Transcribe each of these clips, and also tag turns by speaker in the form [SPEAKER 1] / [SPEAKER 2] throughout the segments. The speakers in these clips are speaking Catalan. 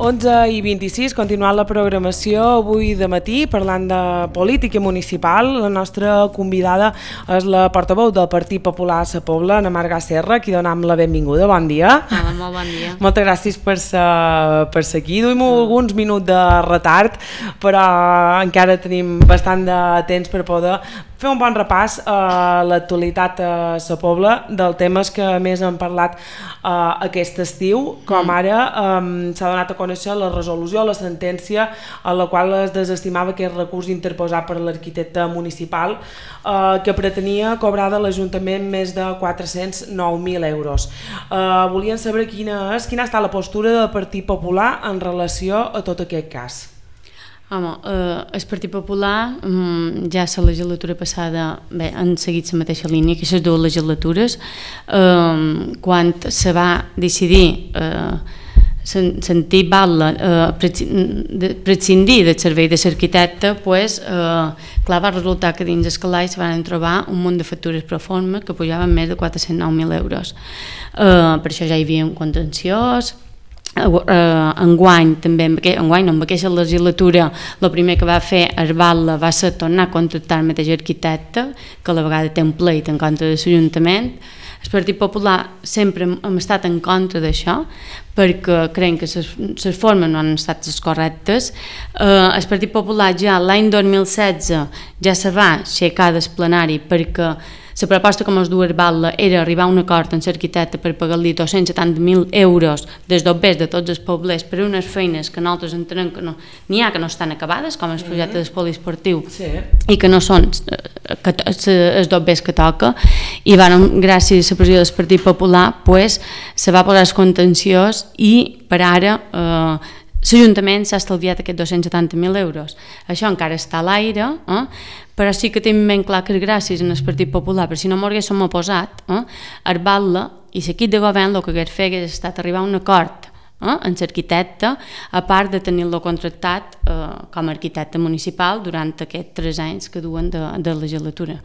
[SPEAKER 1] 11:26, continuant la programació avui de matí parlant de política municipal. La nostra convidada és la portaveu del Partit Popular a Sa Pobla, Ana Marga Serra, qui donem la benvinguda. Bon dia.
[SPEAKER 2] Hola, molt bon dia.
[SPEAKER 1] Moltes gràcies per ser aquí. Duim alguns minuts de retard, però encara tenim bastant de temps per poder fer un bon repàs a l'actualitat a Sa Pobla dels temes que més han parlat aquest estiu, com ara s'ha donat a conèixer la resolució, la sentència en la qual es desestimava aquest recurs interposat per l'arquitecte municipal que pretenia cobrar de l'Ajuntament més de 409.000 euros. Volien saber quina ha estat la postura del Partit Popular en relació a tot aquest cas.
[SPEAKER 2] Home, el Partit Popular ja a la legislatura passada han seguit la mateixa línia que aquestes dues legislatures. Quan se va decidir sentir prescindir del servei de l'arquitecte, clar, va resultar que dins el calaix van trobar un munt de factures pro forma que pujaven més de 409.000 euros. Per això ja hi havia un contenciós. Enguany també, amb aquesta legislatura el primer que va fer Arbatla va ser tornar a contractar el mateix arquitecte, que a la vegada té un pleit en contra de l'Ajuntament. El Partit Popular sempre hem estat en contra d'això perquè creiem que les formes no han estat les correctes. El Partit Popular ja l'any 2016 ja se va aixecar del plenari perquè la proposta com es du Arbatla era arribar a un acord amb l'arquitecte per pagar-li 270.000 euros dels dobbers de tots els poblets per unes feines que nosaltres entenem que n'hi ha que no estan acabades, com el projecte del poliesportiu, i que no són els dobbers que toca, i gràcies a la pressió del Partit Popular se va posar el contenciós i per ara l'Ajuntament s'ha estalviat aquests 270.000 euros. Això encara està a l'aire, però sí que tenim ben clar que gràcies al Partit Popular, però si no m'ho haguéssim oposat, Arbatla i l'equip de govern el que hagués fet hagués estat arribar a un acord amb l'arquitecte, a part de tenir-lo contractat com a arquitecte municipal durant aquests 3 anys que duen de legislatura.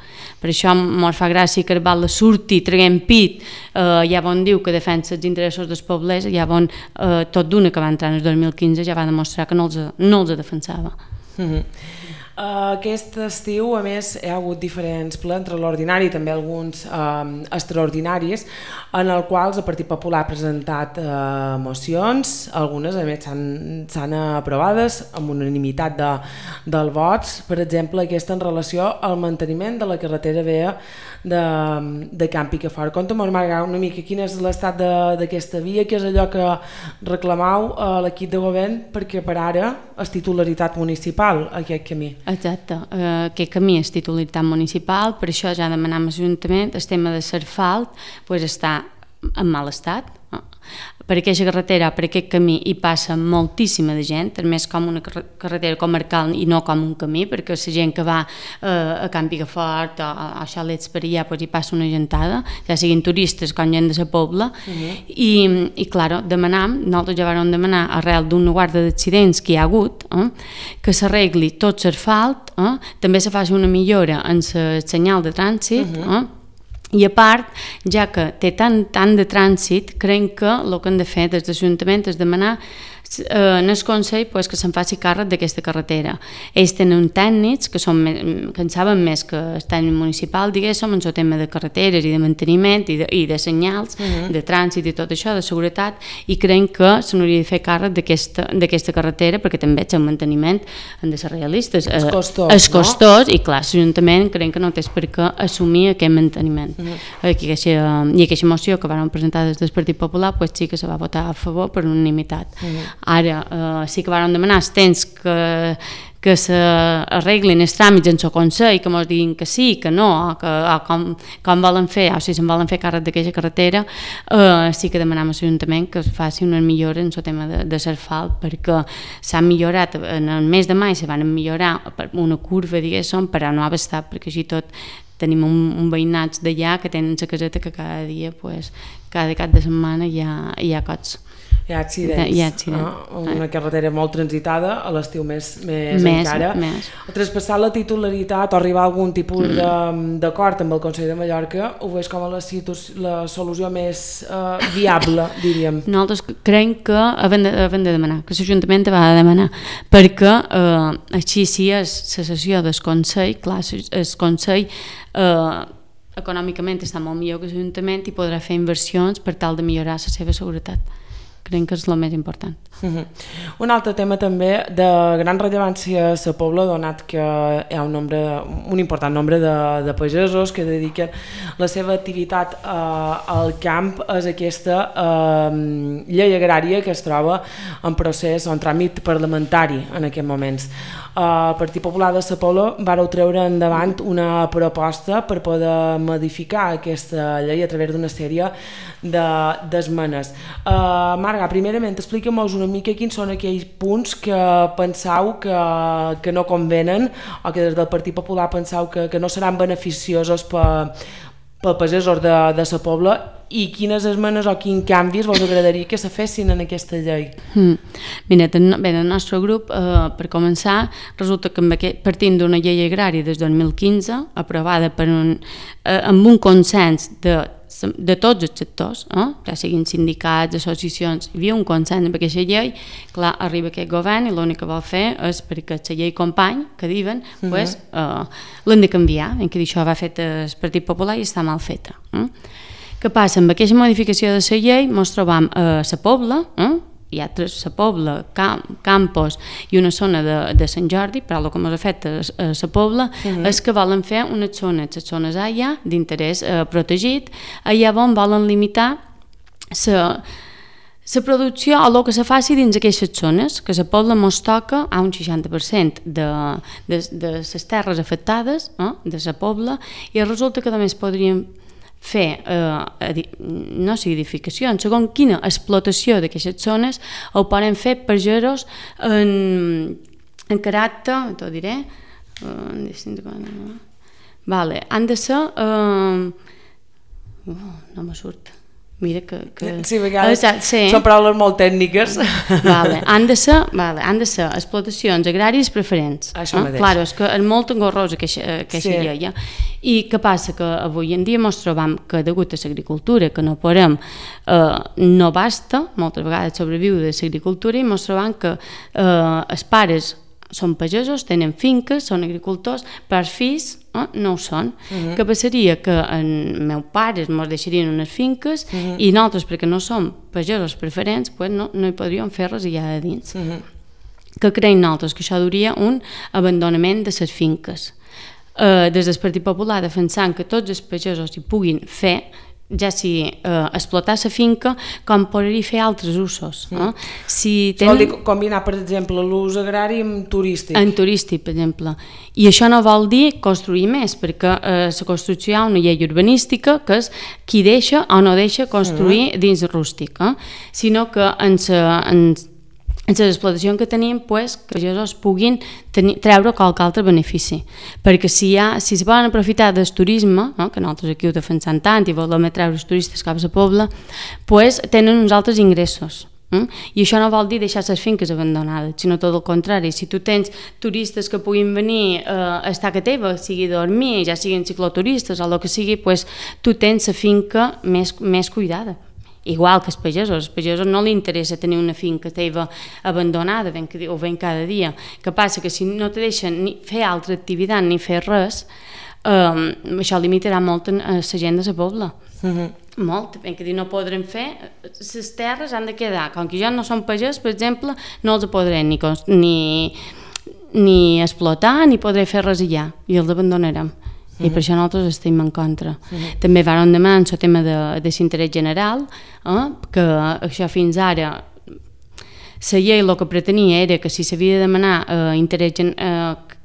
[SPEAKER 2] Per això ens fa gràcia que Arbatla surti traient pit, ja on diu que defensa els interessos dels poblets, ja on tot d'una que va entrar en el 2015 ja va demostrar que no els defensava.
[SPEAKER 1] Aquest estiu, a més, hi ha hagut diferents plens entre l'ordinari i també alguns extraordinaris en els quals el Partit Popular ha presentat mocions, algunes a més s'han aprovades amb unanimitat dels vots, per exemple aquesta en relació al manteniment de la carretera vella de Can Picafort. Conta'm, Marga, una mica quin és l'estat d'aquesta via, què és allò que reclamau a l'equip de govern perquè per ara és titularitat municipal aquest camí.
[SPEAKER 2] Exacte, aquest camí és titularitat municipal, per això ja demanem a l'Ajuntament el tema de l'asfalt està en mal estat. Per aquesta carretera, per aquest camí hi passa moltíssima de gent, més com una carretera comarcal i no com un camí, perquè la gent que va a Can Picafort o a xalets per allà hi passa una gentada, ja siguin turistes com gent de la Pobla, i clar, nosaltres ja vam demanar arrel d'una guarda d'accidents que hi ha hagut, que s'arregli tot l'asfalt, també se faci una millora en el senyal de trànsit, i a part, ja que té tant de trànsit, creiem que el que han de fer des de l'Ajuntament és demanar en el Consell que se'n faci càrrec d'aquesta carretera. Ells tenen tècnics que en saben més que el tècnic municipal, diguéssim, en el tema de carreteres i de manteniment i de senyals, de trànsit i tot això, de seguretat, i creiem que se n'hauria de fer càrrec d'aquesta carretera perquè també el manteniment han de ser realistes. És costós, i clar, l'Ajuntament creiem que no té per què assumir aquest manteniment. I aquesta moció que van presentar des del Partit Popular sí que se va votar a favor per unanimitat. Ara sí que vam demanar els temps que s'arreglin els tràmits en el Consell, que ens diguin que sí, que no, com volen fer, o si se'n volen fer càrrec d'aquesta carretera, sí que demanem a l'Ajuntament que es faci una millora en el tema de l'asfalt, perquè s'ha millorat, en el mes de maig se van millorar una curva, diguéssim, per a no haver estat, perquè així tot tenim un veïnats d'allà que tenen la caseta que cada dia, cada cap de setmana hi ha cots.
[SPEAKER 1] Hi ha accidents. Una carretera molt transitada, a l'estiu més encara. Traspassar la titularitat o arribar a algun tipus d'acord amb el Consell de Mallorca, ho veus com a la solució més viable, diríem?
[SPEAKER 2] Nosaltres creiem que havem de demanar, que l'Ajuntament va de demanar, perquè així si és la sessió del Consell, clar, el Consell econòmicament està molt millor que l'Ajuntament i podrà fer inversions per tal de millorar la seva seguretat. Creiem que és el més important.
[SPEAKER 1] Un altre tema també de gran rellevància a la Pobla, donat que hi ha un important nombre de pagesos que dediquen la seva activitat al camp, és aquesta llei agrària que es troba en procés o en tràmit parlamentari en aquests moments. El Partit Popular de la Pobla vàreu treure endavant una proposta per poder modificar aquesta llei a través d'una sèrie d'esmenes. Marga, primerament explica'm-nos una mica quins són aquells punts que penseu que no convenen o que des del Partit Popular penseu que no seran beneficiosos per pagesos de la Pobla i quines esmenes o quins canvis vos agradaria que se fessin en aquesta llei?
[SPEAKER 2] Mira, el nostre grup, per començar, resulta que partint d'una llei agrària des del 2015, aprovada amb un consens de tots els sectors, ja siguin sindicats, associacions, hi havia un consens amb aquesta llei, clar, arriba aquest govern i l'únic que vol fer és perquè la llei company, que diuen, l'han de canviar, en què això va fet el Partit Popular i està mal feta. Què passa? Amb aquesta modificació de la llei ens trobam a la Pobla, hi ha la Pobla, Campos i una zona de Sant Jordi, però el que ens ha fet a la Pobla és que volen fer unes zones, les zones allà d'interès protegit, allà on volen limitar la producció o el que se faci dins aquestes zones, que la Pobla ens toca a un 60% de les terres afectades de la Pobla i resulta que només podríem fer, no sigui edificacions, segons quina explotació d'aquestes zones ho poden fer pagesos en caràcter, t'ho diré, han de ser, no me surt, mira que...
[SPEAKER 1] Sí, són paraules molt tècniques.
[SPEAKER 2] Han de ser explotacions agràries preferents.
[SPEAKER 1] Això mateix.
[SPEAKER 2] Clar, és que és molt engorrosa aquesta llei. I què passa? Que avui en dia ens trobam que degut a l'agricultura, que no podem, no basta, moltes vegades sobreviu de l'agricultura i ens trobam que els pares són pagesos, tenen finques, són agricultors, però els fills no ho són. Què passaria? Que els meus pares ens deixarien unes finques i nosaltres, perquè no som pagesos preferents, no hi podríem fer res allà de dins. Què creiem nosaltres? Que això duria un abandonament de les finques. Des del Partit Popular defensant que tots els pagesos hi puguin fer, ja sigui explotar la finca com poder-hi fer altres usos.
[SPEAKER 1] Vol dir combinar, per exemple, l'ús agrari amb turístic.
[SPEAKER 2] En turístic, per exemple. I això no vol dir construir més, perquè la construcció hi ha una llei urbanística que és qui deixa o no deixa construir dins rústic, sinó que en les explotacions que tenim, que els pagesos puguin treure qualque altre benefici. Perquè si es volen aprofitar del turisme, que nosaltres aquí ho defensem tant i volem treure els turistes cap a la Pobla, tenen uns altres ingressos. I això no vol dir deixar les finques abandonades, sinó tot el contrari. Si tu tens turistes que puguin venir a estar a teva, sigui dormir, ja siguin cicloturistes o el que sigui, tu tens la finca més cuidada. Igual que els pagesos no li interessa tenir una finca teva abandonada o ben cada dia. Què passa? Que si no te deixen ni fer altra activitat ni fer res, això limitarà molt la gent de la Pobla. Molt, ben que dir, no podrem fer, les terres han de quedar, com que ja no són pagès, per exemple, no els podrem ni explotar ni podrem fer res allà i els abandonarem. I per això nosaltres estem en contra. També vam demanar el tema de l'interès general, que això fins ara la llei el que pretenia era que si s'havia de demanar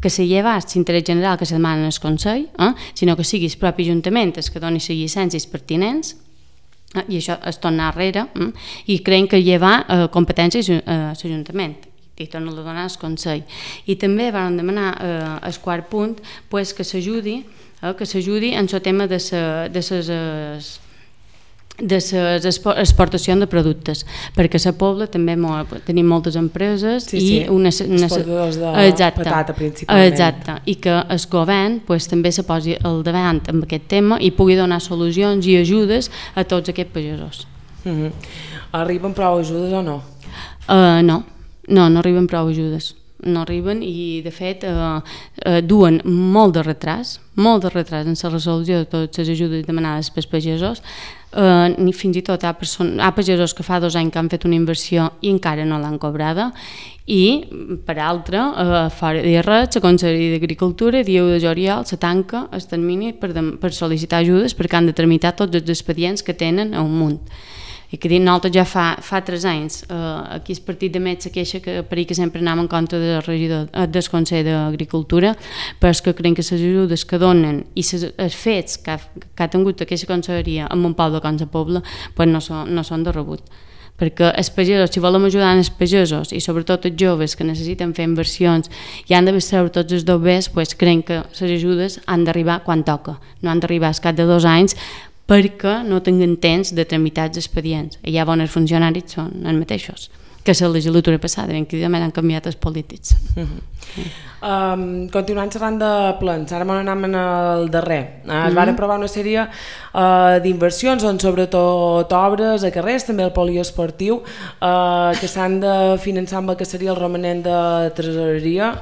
[SPEAKER 2] que se llevés l'interès general que se demana al Consell, sinó que sigui el propi Ajuntament el que doni les llicències pertinents, i això es torna arrere, i creiem que llevar competències a l'Ajuntament i torna a donar al Consell. I també vam demanar el quart punt que s'ajudi en el tema de les de les exportacions de productes, perquè a la Pobla també tenim moltes empreses i
[SPEAKER 1] exportadors de patata principalment.
[SPEAKER 2] Exacte, i que el govern també se posi al davant amb aquest tema i pugui donar solucions i ajudes a tots aquests pagesos.
[SPEAKER 1] Arriben prou ajudes o no?
[SPEAKER 2] No arriben prou ajudes. No arriben i, de fet, duen molt de retras en la resolució de totes les ajudes demanades pels pagesos. Fins i tot hi ha pagesos que fa 2 anys que han fet una inversió i encara no l'han cobrada, i, per altra, fora de res, la Conselleria d'Agricultura, dia 1 de juliol, se tanca el termini per sol·licitar ajudes perquè han de tramitar tots els expedients que tenen a un munt. I que nosaltres ja fa 3 anys, aquí el partit de Met se queixa que per que sempre anem en contra del Consell d'Agricultura, però és que creiem que les ajudes que donen i els fets que ha tingut aquesta conselleria en un poble com la Pobla no són de rebut. Perquè els pagesos, si volem ajudar els pagesos i sobretot els joves que necessiten fer inversions i han de treure tots els dobbers, creiem que les ajudes han d'arribar quan toca, no han d'arribar al cap de 2 anys, perquè no tinguin temps de tramitar els expedients. Hi ha bons funcionaris, són els mateixos que la legislatura passada, ben que han canviat els polítics.
[SPEAKER 1] Continuant xerrant de plans, ara anem al darrer. Es van aprovar una sèrie d'inversions, sobretot obres a carrers, també el poliesportiu, que s'han de finançar amb el que seria el romanent de tresoreria,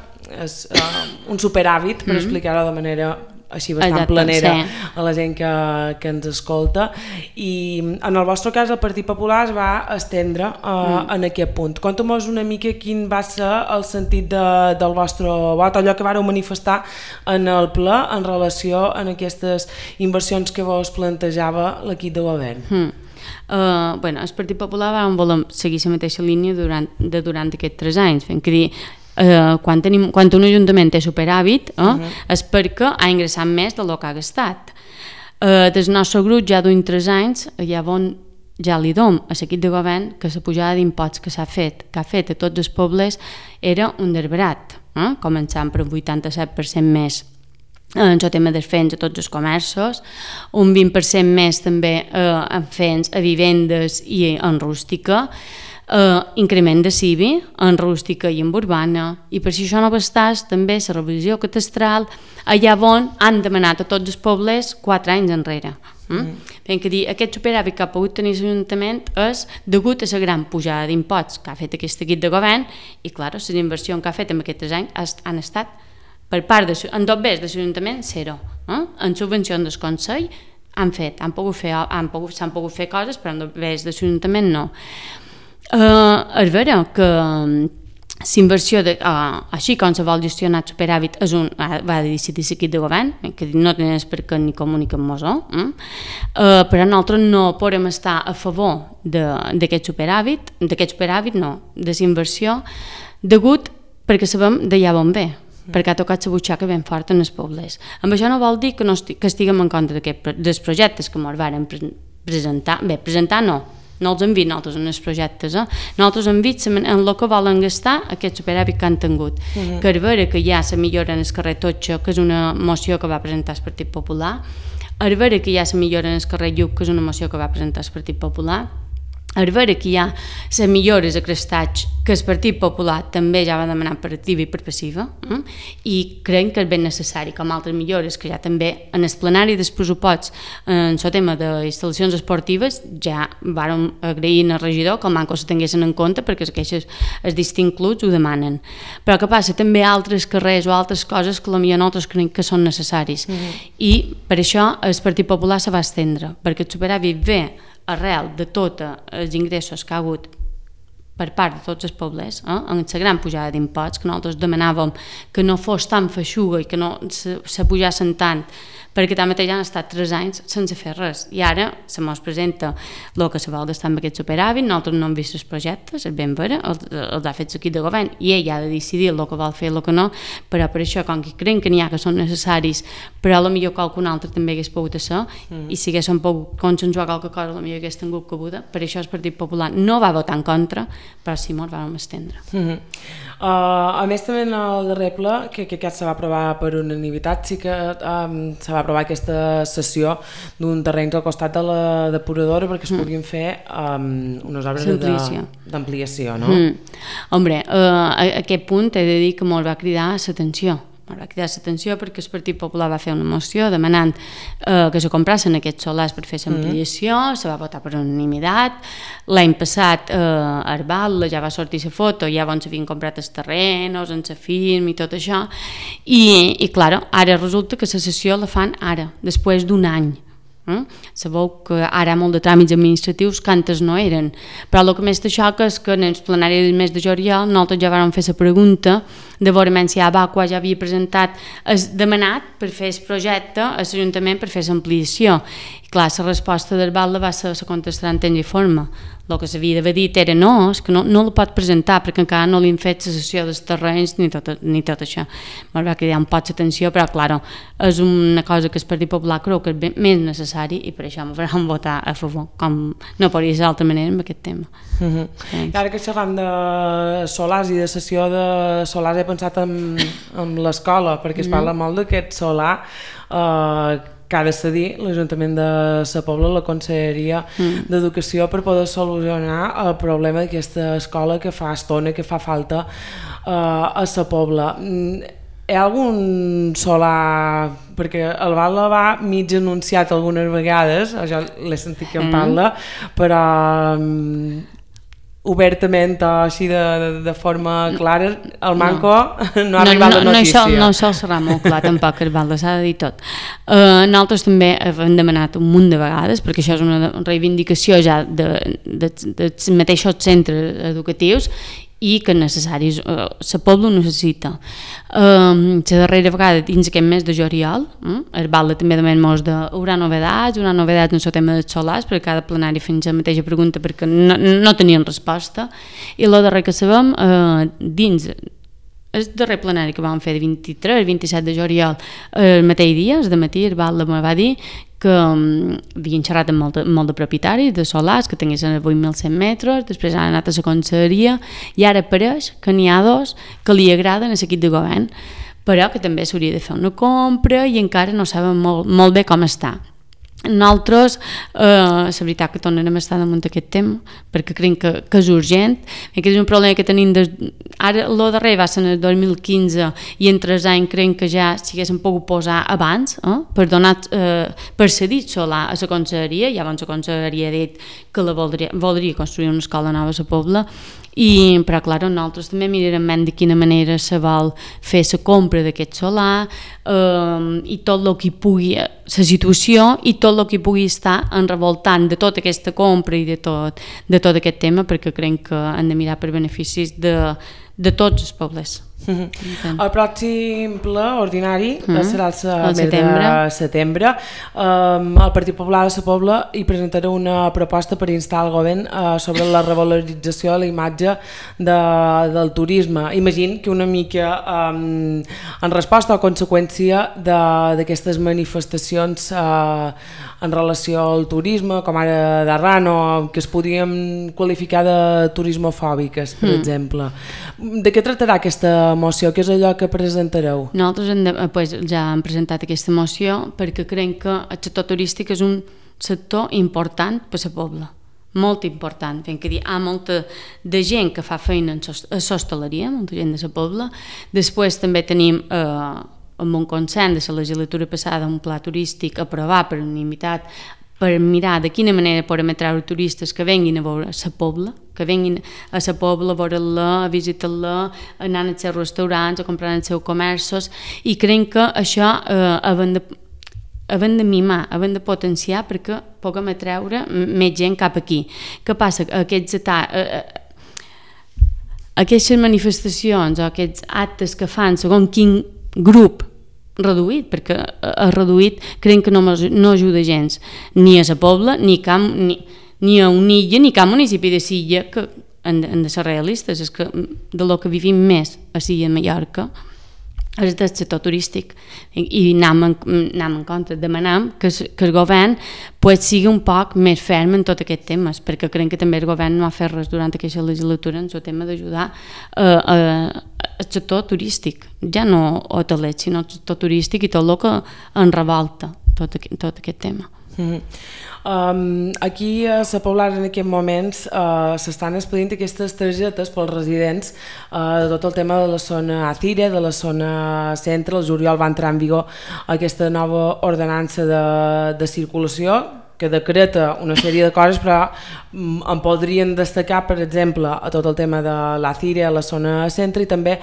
[SPEAKER 1] un superàvit, per explicar-ho de manera així bastant planera a la gent que ens escolta, i en el vostre cas el Partit Popular es va estendre en aquest punt. Conta'm-nos una mica quin va ser el sentit del vostre vot, allò que vareu manifestar en el ple en relació a aquestes inversions que vos plantejava l'equip de govern.
[SPEAKER 2] El Partit Popular va voler seguir la mateixa línia durant aquests 3 anys, fent que dir quan un ajuntament té superàvit és perquè ha ingressat més del que ha gastat. Del nostre grup ja duim 3 anys, ja li dom a l'equip de govern que la pujada d'imposts que ha fet a tots els pobles era un derbarat, començant per un 87% més en el tema dels fens a tots els comerços, un 20% més també en fens a vivendes i en rústica, increment de CIBI en rústica i en urbana, i per si això no bastàs també la revisió catastral allà on han demanat a tots els pobles 4 anys enrere. Fent que dir, aquest superàvit que ha pogut tenir l'Ajuntament és degut a la gran pujada d'imposts que ha fet aquest equip de govern, i clar, les inversions que ha fet en aquests 3 anys han estat per part en dobbers de l'Ajuntament 0. En subvencions del Consell s'han pogut fer coses, però en dobbers de l'Ajuntament no. És vera que l'inversió, així com se vol gestionar el superàvit, va decidir l'equip de govern, que no tenen per què ni comuniquen mosso, però nosaltres no podem estar a favor d'aquest superàvit, no, de la inversió, degut perquè sabem d'allà on ve, perquè ha tocat la butxaca ben fort en els pobles. Amb això no vol dir que estiguem en contra dels projectes que ens varen presentar no els hem vist nosaltres en els projectes, nosaltres hem vist en el que volen gastar aquest superàvit que han tingut, que és vera que hi ha la millora en el carrer Totxo, que és una moció que va presentar el Partit Popular, és vera que hi ha la millora en el carrer Lluc, que és una moció que va presentar el Partit Popular, és vera que hi ha les millores a Crestatge, que el Partit Popular també ja va demanar per activa i per passiva, i creiem que és ben necessari, com altres millores que ja també en el plenari dels pressuposts en el tema d'instal·lacions esportives ja vàrem agrair al regidor que el manco se tinguessin en compte perquè els distints clubs ho demanen. Però què passa? També altres carrers o altres coses que potser nosaltres creiem que són necessaris, i per això el Partit Popular se va estendre, perquè el superàvit ve arrel de tots els ingressos que ha hagut per part de tots els pobles, en la gran pujada d'imposts, que nosaltres demanàvem que no fos tan feixuga i que no se pujassin tant, perquè tanmateix han estat 3 anys sense fer res, i ara se mos presenta el que se vol gastar amb aquest superàvit, nosaltres no hem vist els projectes, és ben vera, els ha fet l'equip de govern, i ell ha de decidir el que vol fer i el que no, però per això, com que creiem que n'hi ha que són necessaris, però potser qualcun altre també hagués pogut ser, i si haguéssim pogut consensuar qualque cosa, potser hagués tingut cabuda, per això el Partit Popular no va votar en contra, però sí, ens vam estendre.
[SPEAKER 1] A més, també en el darrer ple, que aquest se va aprovar per unanimitat, sí que se va aprovar aquesta cessió d'un terreny al costat de la depuradora perquè es puguin fer unes obres d'ampliació, no?
[SPEAKER 2] Hombre, a aquest punt he de dir que molt va cridar l'atenció. Va cridar l'atenció perquè el Partit Popular va fer una moció demanant que se comprassin aquests solars per fer l'ampliació, se va votar per unanimitat. L'any passat a Arbal ja va sortir la foto, ja on s'havien comprat els terrenos, en la firma i tot això, i clar, ara resulta que la sessió la fan ara, després d'un any. Sabeu que ara hi ha molt de tràmits administratius que antes no eren, però el que més te xoca és que en el plenari del mes de juliol nosaltres ja vam fer la pregunta de veure si Abaqua ja havia demanat per fer el projecte a l'Ajuntament per fer l'ampliació. I clar, la resposta del Val va ser la contestar en temps i forma. El que s'havia d'haver dit era no, és que no la pot presentar perquè encara no li han fet la cessió dels terrenys ni tot això. Me'n va cridar un poc l'atenció, però clar, és una cosa que el Partit Popular creu que és més necessari i per això m'ho faran votar a favor, com no podria ser d'altra manera amb aquest tema.
[SPEAKER 1] I ara que xerram de solars i de cessió de solars, he pensat en l'escola, perquè es parla molt d'aquest solar que ha de cedir l'Ajuntament de Sa Pobla, la Conselleria d'Educació, per poder solucionar el problema d'aquesta escola que fa estona, que fa falta a Sa Pobla. Hi ha algun solar, perquè el Val va mig anunciat algunes vegades, jo l'he sentit que en parla, però obertament o així de forma clara, el Manco no ha arribat la notícia.
[SPEAKER 2] No sol serà molt clar tampoc, el Val, s'ha de dir tot. Nosaltres també hem demanat un munt de vegades, perquè això és una reivindicació ja dels mateixos centres educatius i que necessaris, la Pobla ho necessita. La darrera vegada dins aquest mes de juliol, el Val també demana hi haurà novedats en el tema dels solars, perquè cada plenari fem la mateixa pregunta perquè no tenien resposta, i el darrer que sabem, dins el darrer plenari que vam fer de 23-27 de juliol, el mateix dia, el matí, el Val me va dir que havien xerrat amb molt de propietaris de solars que tinguessin 8.100 metres, després han anat a la conselleria i ara pareix que n'hi ha dos que li agraden a l'equip de govern, però que també s'hauria de fer una compra i encara no saben molt bé com està. Nosaltres, la veritat que tornarem a estar damunt d'aquest tema perquè creiem que és urgent, que és un problema que tenim ara, el darrer va ser en el 2015 i en 3 anys creiem que ja s'hi haguessin pogut posar abans per cedir solar a la conselleria. Llavors la conselleria ha dit que voldria construir una escola nova a la Pobla, però clar, nosaltres també mirarem de quina manera se vol fer la compra d'aquest solar i tot el que pugui, la situació i tot el que pugui estar enrevoltant de tota aquesta compra i de tot aquest tema, perquè creiem que hem de mirar per beneficis de tots els pobles.
[SPEAKER 1] El pròxim ple ordinari serà el mes de setembre. El Partit Popular de Sa Pobla hi presentarà una proposta per instar el govern sobre la revalorització de la imatge del turisme. Imagino que una mica en resposta o conseqüència d'aquestes manifestacions en relació al turisme, com ara d'arran, o que es podrien qualificar de turismofòbiques, per exemple. De què tractarà aquesta moció? Què és allò que presentareu?
[SPEAKER 2] Nosaltres ja hem presentat aquesta moció perquè creiem que el sector turístic és un sector important per a la Pobla, molt important, fent que hi ha molta de gent que fa feina a l'hostaleria, molta gent de la Pobla. Després també tenim amb un consens de la legislatura passada un pla turístic aprovat per unanimitat per mirar de quina manera podem atraure turistes que venguin a veure la Pobla, que venguin a la Pobla a veure-la, a visitar-la, anant als seus restaurants, a comprar els seus comerços, i creiem que això havem de mimar, havem de potenciar perquè puguem atraure més gent cap aquí. Què passa? Aquestes manifestacions o aquests actes que fan segons quin grup reduït, perquè el reduït creiem que no ajuda gens ni a la Pobla, ni a Unilla, ni cap municipi de Silla, que han de ser realistes, és que de lo que vivim més a Silla i Mallorca és del sector turístic i anem en compte, demanem que el govern pues, sigui un poc més ferm en tots aquests temes, perquè creiem que també el govern no ha fet res durant aquesta legislatura en el tema d'ajudar el sector turístic, ja no hoteler, sinó el sector turístic i tot el que en revolta tot aquest tema.
[SPEAKER 1] Aquí a Sa Pobla en aquests moments s'estan expedint aquestes targetes pels residents de tot el tema de la zona Acire, de la zona centre. El juliol va entrar en vigor aquesta nova ordenança de circulació que decreta una sèrie de coses, però en podrien destacar, per exemple, a tot el tema de l'Acire, a la zona centre, i també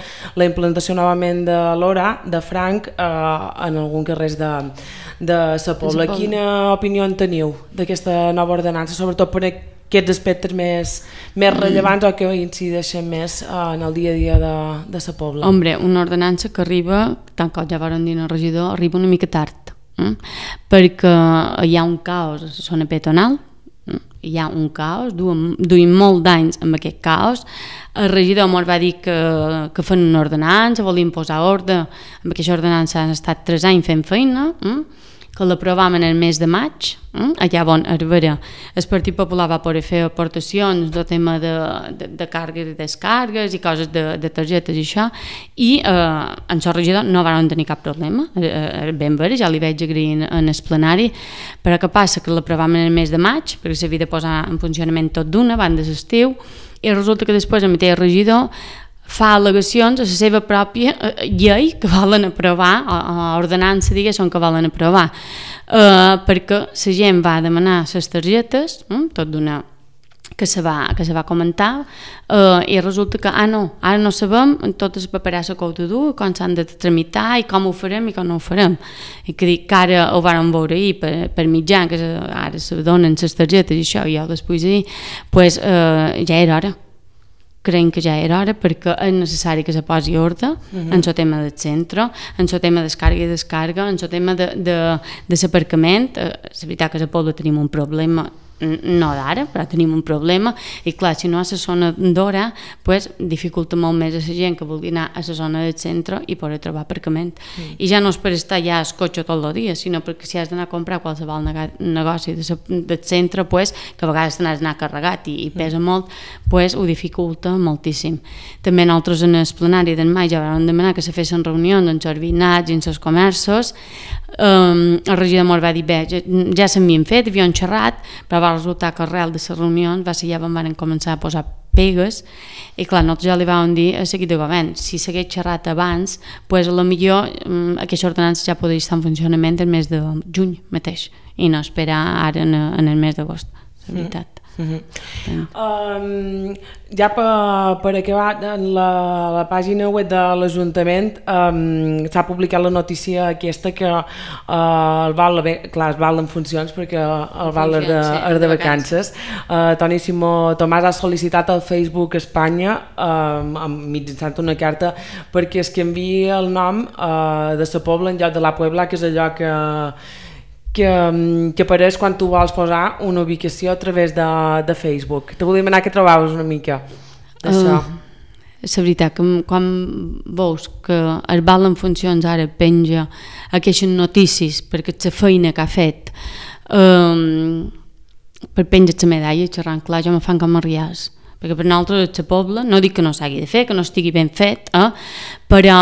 [SPEAKER 1] la implantació novament de l'Hora, de Franc, en algun carrers de Sa Pobla. Quina opinió en teniu d'aquesta nova ordenança, sobretot per aquests aspectes més rellevants o que incideixen més en el dia a dia de Sa Pobla?
[SPEAKER 2] Hombre, una ordenança que arriba, tant com ja van dir el regidor, arriba una mica tard, perquè hi ha un caos a la zona peatonal, hi ha un caos, duim molt d'anys amb aquest caos. El regidor ens va dir que fan una ordenança, volien posar ordre, amb aquesta ordenança han estat 3 anys fent feina, que l'aprovàvem en el mes de maig, allà on el Partit Popular va poder fer aportacions del tema de càrregues i descàrregues i coses de targetes i això, i en el regidor no van tenir cap problema, ben veure, ja li vaig agrair en el plenari, però què passa? Que l'aprovàvem en el mes de maig, perquè s'havia de posar en funcionament tot d'una, abans de l'estiu, i resulta que després el mateix regidor fa al·legacions a la seva pròpia llei que volen aprovar, o ordenança, diguéssim, que volen aprovar, perquè la gent va demanar les targetes, tot d'una que se va comentar, i resulta que, ara no sabem tota la paperassa que heu de dur, com s'han de tramitar i com ho farem i com no ho farem. I que dic que ara ho vàrem veure ahir per mitjà, que ara se donen les targetes i això, i jo després ahir, pues ja era hora. Creiem que ja era hora perquè és necessari que se posi ordre en el tema del centre, en el tema d'escàrrega i descàrrega, en el tema de l'aparcament. És veritat que a Sa Pobla tenim un problema, no d'ara, però tenim un problema, i clar, si no a la zona d'Hora, pues, dificulta molt més a la gent que vulgui anar a la zona del centre i poder trobar aparcament. I ja no és per estar allà al cotxe tot el dia, sinó perquè si has d'anar a comprar qualsevol negoci del centre, pues, que a vegades t'has d'anar carregat i pesa molt, pues, ho dificulta moltíssim. També nosaltres en el plenari d'en maig ja vam demanar que se fessin reunions amb els veïnats i amb els comerços. El regidor ens va dir, bé, ja s'havien fet, havien xerrat, però va resultar que arrel de les reunions va ser ja on van començar a posar pegues, i clar, nosaltres ja li vam dir a l'equip de govern, si s'hagués xerrat abans, pues, potser aquesta ordenança ja podria estar en funcionament el mes de juny mateix, i no esperar ara en el mes d'agost, és veritat.
[SPEAKER 1] Ja per acabar, en la pàgina web de l'Ajuntament s'ha publicat la notícia aquesta que el val, clar, es val en funcions perquè el val és de vacances. Toni Simó Tomàs ha sol·licitat al Facebook Espanya mitjançant una carta perquè es canviï el nom de Sa Pobla en lloc de la Puebla, que és allò que apareix quan tu vols posar una ubicació a través de Facebook. Te volia demanar que trobaves una mica d'això.
[SPEAKER 2] És veritat que quan veus que el val en funcions ara penja aquestes notícies perquè la feina que ha fet per penjar la medalla, xerrant clar, jo me fan com a rials, perquè per nosaltres a Sa Pobla, no dic que no s'hagi de fer, que no estigui ben fet, però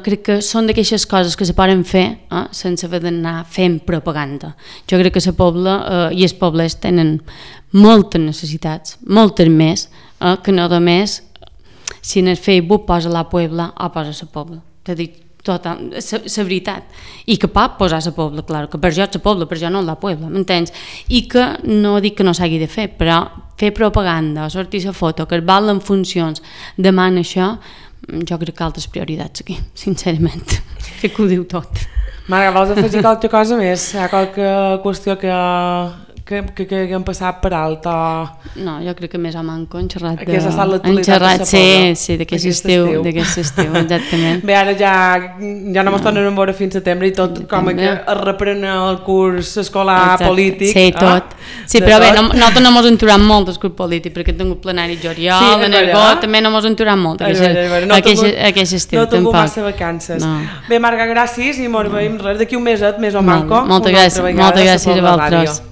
[SPEAKER 2] crec que són d'aquestes coses que se poden fer sense haver d'anar fent propaganda. Jo crec que Sa Pobla i els pobles tenen moltes necessitats, moltes més, que no només si en el Facebook posa la Puebla o posa Sa Pobla. T'he dit la veritat, i que pot posar Sa Pobla, clar, que per jo és Sa Pobla, per jo no la Puebla, m'entens? I que no dic que no s'hagi de fer, però fer propaganda, sortir la foto, que el val en funcions demana això, jo crec que altres prioritats aquí, sincerament. Crec que ho diu tot.
[SPEAKER 1] Marga, vols afegir qualque cosa més? Hi ha qualque qüestió que que hem passat per alt?
[SPEAKER 2] No, jo crec que més o manco han xerrat
[SPEAKER 1] Aquesta ha estat l'actualitat de Sapoda.
[SPEAKER 2] Sí, d'aquest estiu, exactament.
[SPEAKER 1] Bé, ara ja no ens tornem a veure fins a setembre i tot com que es reprèn el curs escolar polític.
[SPEAKER 2] Sí, tot. Sí, però bé, nosaltres no ens enturam molt del curs polític, perquè hem tingut plenari juliol, de Nergó, també no ens enturam molt aquest estiu,
[SPEAKER 1] tampoc. No tingut massa vacances. Bé, Marga, gràcies i ens veiem res d'aquí un meset, més o manco.
[SPEAKER 2] Moltes gràcies a vosaltres.